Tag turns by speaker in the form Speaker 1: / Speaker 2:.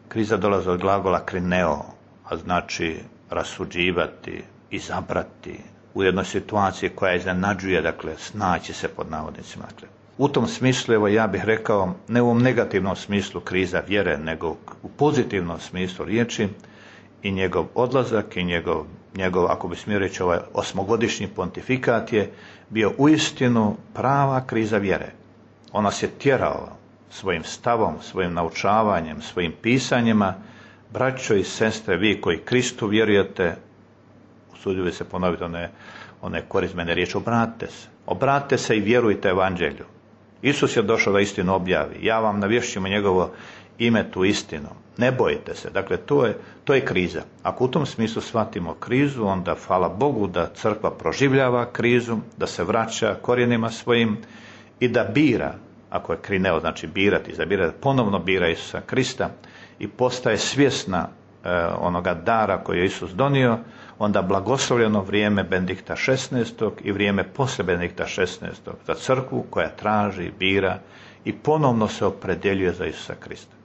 Speaker 1: Kriza dolazi od glagola krineo, a znači rasuđivati, izabrati u jednoj situaciji koja iznenađuje, dakle, snaći se pod navodnicima. Dakle, u tom smislu, evo ja bih rekao, ne u ovom negativnom smislu kriza vjere, nego u pozitivnom smislu riječi, i njegov odlazak i njegov, ako bi smio reći, ovaj 8-godišnji pontifikat je bio uistinu prava kriza vjere. On nas je tjerao svojim stavom, svojim naučavanjem, svojim pisanjima. Braćo i sestre, vi koji Kristu vjerujete, usudio bi se ponoviti one korizmene riječi, obratite se i vjerujte evanđelju. Isus je došao da istinu objavi. Ja vam navješćujem njegovo ime tu istinu. Ne bojite se. Dakle, to je kriza. Ako u tom smislu shvatimo krizu, onda hvala Bogu da crkva proživljava krizu, da se vraća korijenima svojim i da bira, ako je krineo, znači birati, izabirati, ponovno bira Isusa Krista i postaje svjesna onoga dara koji je Isus donio, onda blagoslovljeno vrijeme Benedikta XVI. I vrijeme poslije Benedikta XVI. Za crkvu koja traži, bira i ponovno se opredjeljuje za Isusa Krista.